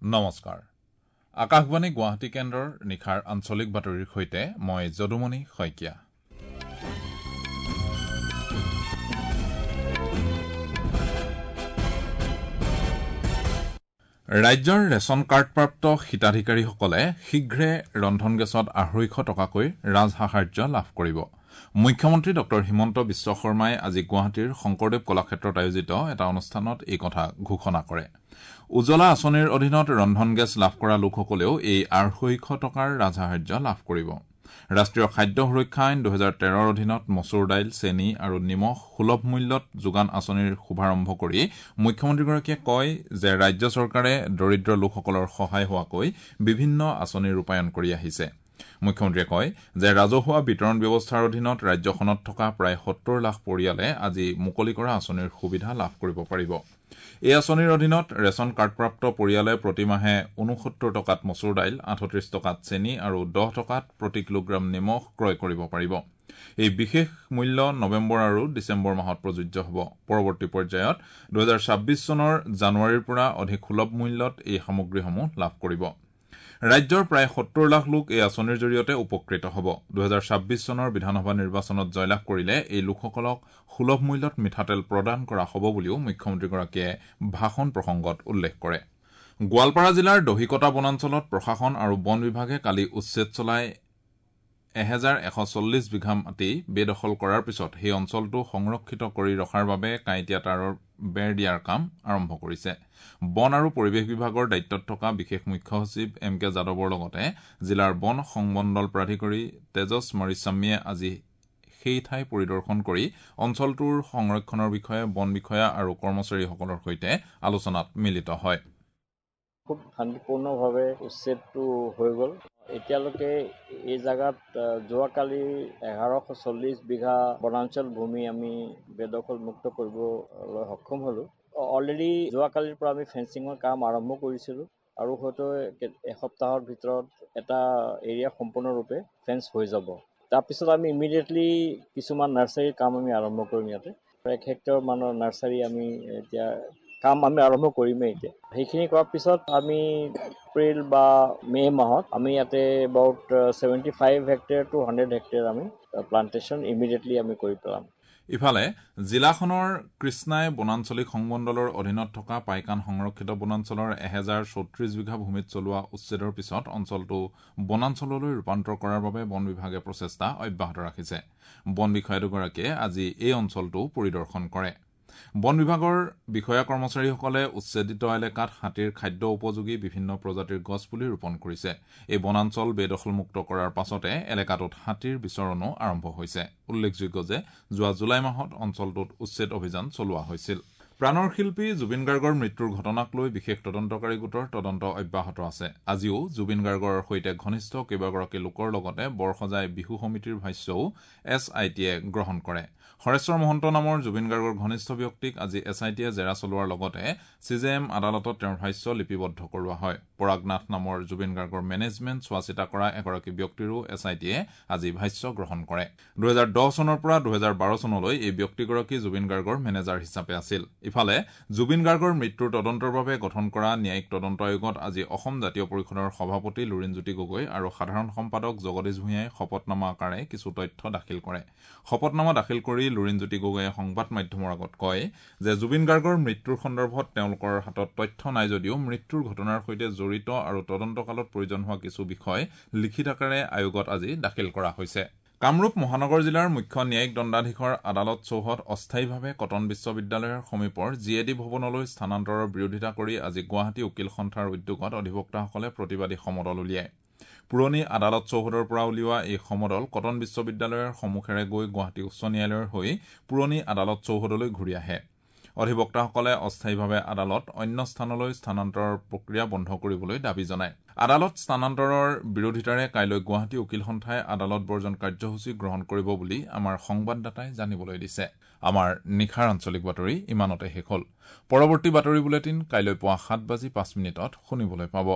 নমস্কাৰ, আকাশবাণী গুৱাহাটী কেন্দ্ৰৰ নিশাৰ আঞ্চলিক বাতৰিৰ সৈতে মই যদুমণি শইকীয়া। ৰাজ্যৰ ৰেচন কাৰ্ডপ্ৰাপ্ত হিতাধিকাৰীসকলে শীঘ্ৰে ৰন্ধন গেছত 250 টকাকৈ ৰাজসাহায্য লাভ কৰিব। মুখ্যমন্ত্ৰী ডঃ হিমন্ত বিশ্ব শৰ্মাই আজি গুৱাহাটীৰ শংকৰদেৱ কলাক্ষেত্ৰত আয়োজিত এটা অনুষ্ঠানত এই কথা ঘোষণা কৰে। উজলা আঁচনিৰ অধীনত ৰন্ধন গেছ লাভ কৰা লোকসকলেও এই 250 টকাৰ ৰাজসাহায্য লাভ কৰিব। ৰাষ্ট্ৰীয় খাদ্য সুৰক্ষা আইন 2013ৰ অধীনত মচুৰ দাইল, চেনি আৰু নিমখ সুলভ মূল্যত যোগান আঁচনিৰ শুভাৰম্ভ কৰি মুখ্যমন্ত্ৰীগৰাকীয়ে কয় যে ৰাজ্য চৰকাৰে দৰিদ্ৰ লোকসকলৰ সহায় হোৱাকৈ বিভিন্ন আঁচনি ৰূপায়ণ কৰি আহিছে। মুখ্যমন্ত্ৰীয়ে কয় যে ৰাজহুৱা বিতৰণ ব্যৱস্থাৰ অধীনত ৰাজ্যখনত থকা প্ৰায় 70 লাখ পৰিয়ালে আজি মুকলি কৰা আঁচনিৰ সুবিধা লাভ কৰিব পাৰিব। এই আঁচনিৰ অধীনত ৰেচন কাৰ্ডপ্ৰাপ্ত পৰিয়ালে প্ৰতিমাহে 69 টকাত মচুৰ দাইল, 38 টকাত চেনি আৰু 10 টকাত প্ৰতি কিলোগ্ৰাম নিমখ ক্ৰয় কৰিব পাৰিব। এই বিশেষ মূল্য নৱেম্বৰ আৰু ডিচেম্বৰ মাহত প্ৰযোজ্য হ'ব। পৰৱৰ্তী পৰ্যায়ত 2026 চনৰ জানুৱাৰীৰ পৰা অধিক সুলভ মূল্যত এই সামগ্ৰীসমূহ লাভ কৰিব। ৰাজ্যৰ প্ৰায় 70 লাখ লোক এই আঁচনিৰ জৰিয়তে উপকৃত হ'ব। 2026 চনৰ বিধানসভা নিৰ্বাচনত জয়লাভ কৰিলে এই লোকসকলক সুলভ মূল্যত মিঠাতেল প্ৰদান কৰা হ'ব বুলিও মুখ্যমন্ত্ৰীগৰাকীয়ে ভাষণ প্ৰসংগত উল্লেখ কৰে। গোৱালপাৰা জিলাৰ দহিকটা বনাঞ্চলত প্ৰশাসন আৰু বন বিভাগে কালি উচ্ছেদ চলাই 1140 বিঘা মাটি বেদখল কৰাৰ পিছত সেই অঞ্চলটো সংৰক্ষিত কৰি ৰখাৰ বাবে কাঁইটীয়া তাঁৰৰ বেৰ দিয়াৰ কাম আৰম্ভ কৰিছে। বন আৰু পৰিৱেশ বিভাগৰ দায়িত্বত থকা বিশেষ মুখ্য সচিব এম কে যাদৱৰ লগতে জিলাৰ বন সংমণ্ডল প্ৰাধিকাৰী তেজস মৰিস্বামীয়ে আজি সেই ঠাই পৰিদৰ্শন কৰি অঞ্চলটোৰ সংৰক্ষণৰ বিষয়ে বন বিষয়া আৰু কৰ্মচাৰীসকলৰ সৈতে আলোচনাত মিলিত হয়। খুব শান্তিপূৰ্ণভাৱে উচ্ছেদটো হৈ গ'ল। এতিয়ালৈকে এই জেগাত যোৱাকালি 1140 বিঘা বনাঞ্চল ভূমি আমি বেদখল মুক্ত কৰিবলৈ সক্ষম হ'লোঁ। অলৰেডি যোৱাকালিৰ পৰা আমি ফেঞ্চিঙৰ কাম আৰম্ভ কৰিছিলোঁ আৰু হয়তো এসপ্তাহৰ ভিতৰত এটা এৰিয়া সম্পূৰ্ণৰূপে ফেঞ্চ হৈ যাব। তাৰপিছত আমি ইমিডিয়েটলি কিছুমান নাৰ্চাৰীৰ কাম আমি আৰম্ভ কৰিম। ইয়াতে 1 হেক্টৰ মানৰ নাৰ্চাৰী আমি এতিয়া কাম আমি আৰম্ভ কৰিমেই। এতিয়া সেইখিনি কৰাৰ পিছত আমি এপ্ৰিল বা মে' মাহত আমি ইয়াতে এবাউট 75 হেক্টেয়াৰ টু 100 হেক্টেয়াৰ আমি প্লান্টেশ্যন ইমিডিয়েটলি আমি কৰি পেলাম। ইফালে জিলাখনৰ কৃষ্ণাই বনাঞ্চলিক সংমণ্ডলৰ অধীনত থকা পাইকান সংৰক্ষিত বনাঞ্চলৰ 1034 বিঘা ভূমিত চলোৱা উচ্ছেদৰ পিছত অঞ্চলটো বনাঞ্চললৈ ৰূপান্তৰ কৰাৰ বাবে বন বিভাগে প্ৰচেষ্টা অব্যাহত ৰাখিছে। বন বিষয়া দুগৰাকীয়ে আজি এই অঞ্চলটো পৰিদৰ্শন কৰে। বন বিভাগৰ বিষয়া কৰ্মচাৰীসকলে উচ্ছেদিত এলেকাত হাতীৰ খাদ্য উপযোগী বিভিন্ন প্ৰজাতিৰ গছপুলি ৰোপণ কৰিছে। এই বনাঞ্চল বেদখলমুক্ত কৰাৰ পাছতে এলেকাটোত হাতীৰ বিচৰণো আৰম্ভ হৈছে। উল্লেখযোগ্য যে যোৱা জুলাই মাহত অঞ্চলটোত উচ্ছেদ অভিযান চলোৱা হৈছিল। প্ৰাণৰ শিল্পী জুবিন গাৰ্গৰ মৃত্যুৰ ঘটনাক লৈ বিশেষ তদন্তকাৰী গোটৰ তদন্ত অব্যাহত আছে। আজিও জুবিন গাৰ্গৰ সৈতে ঘনিষ্ঠ কেইবাগৰাকী লোকৰ লগতে বৰসজাই বিহু সমিতিৰ ভাষ্যও এছ I টিয়ে গ্ৰহণ কৰে। হৰেশ্বৰ মহন্ত নামৰ জুবিন গাৰ্গৰ ঘনিষ্ঠ ব্যক্তিক আজি এছ I টিয়ে জেৰা চলোৱাৰ লগতে চি জে এম আদালতত তেওঁৰ ভাষ্য লিপিবদ্ধ কৰোৱা হয়। পৰাগ নাথ নামৰ জুবিন গাৰ্গৰ মেনেজমেণ্ট চোৱাচিতা কৰা এগৰাকী ব্যক্তিৰো এছ I টিয়ে আজি ভাষ্য গ্ৰহণ কৰে। 2010 চনৰ পৰা 2012 চনলৈ এই ব্যক্তিগৰাকী জুবিন গাৰ্গৰ মেনেজাৰ হিচাপে আছিল। ইফালে জুবিন গাৰ্গৰ মৃত্যুৰ তদন্তৰ বাবে গঠন কৰা ন্যায়িক তদন্ত আয়োগত আজি অসম জাতীয় পৰিষদৰ সভাপতি লুৰিণজ্যোতি গগৈ আৰু সাধাৰণ সম্পাদক জগদীশ ভূঞাই শপতনামা আকাৰে কিছু তথ্য দাখিল কৰে। শপতনামা দাখিল কৰি লুৰিণজ্যোতি গগৈয়ে সংবাদ মাধ্যমৰ আগত কয় যে জুবিন গাৰ্গৰ মৃত্যুৰ সন্দৰ্ভত তেওঁলোকৰ হাতত তথ্য নাই যদিও মৃত্যুৰ ঘটনাৰ সৈতে জড়িত আৰু তদন্তকালত প্ৰয়োজন হোৱা কিছু বিষয় লিখিত আকাৰে আয়োগত আজি দাখিল কৰা হৈছে। কামৰূপ মহানগৰ জিলাৰ মুখ্য ন্যায়িক দণ্ডাধীশৰ আদালত চৌহদ অস্থায়ীভাৱে কটন বিশ্ববিদ্যালয়ৰ সমীপৰ জি এ ডি ভৱনলৈ স্থানান্তৰৰ বিৰোধিতা কৰি আজি গুৱাহাটী উকীল সন্থাৰ উদ্যোগত অধিবক্তাসকলে প্ৰতিবাদী সমদল উলিয়ায়। পুৰণি আদালত চৌহদৰ পৰা উলিওৱা এই সমদল কটন বিশ্ববিদ্যালয়ৰ সন্মুখেৰে গৈ গুৱাহাটী উচ্চ ন্যায়ালয়ৰ হৈ পুৰণি আদালত চৌহদলৈ ঘূৰি আহে। অধিবক্তাসকলে অস্থায়ীভাৱে আদালত অন্য স্থানলৈ স্থানান্তৰৰ প্ৰক্ৰিয়া বন্ধ কৰিবলৈ দাবী জনায়। আদালত স্থানান্তৰৰ বিৰোধিতাৰে কাইলৈ গুৱাহাটী উকীল সন্থাই আদালত বৰ্জন কাৰ্যসূচী গ্ৰহণ কৰিব বুলি আমাৰ সংবাদদাতাই জানিবলৈ দিছে। আমাৰ নিশাৰ আঞ্চলিক বাতৰি ইমানতে শেষ হ'ল। পৰৱৰ্তী বাতৰি বুলেটিন কাইলৈ পুৱা 7:05 শুনিবলৈ পাব।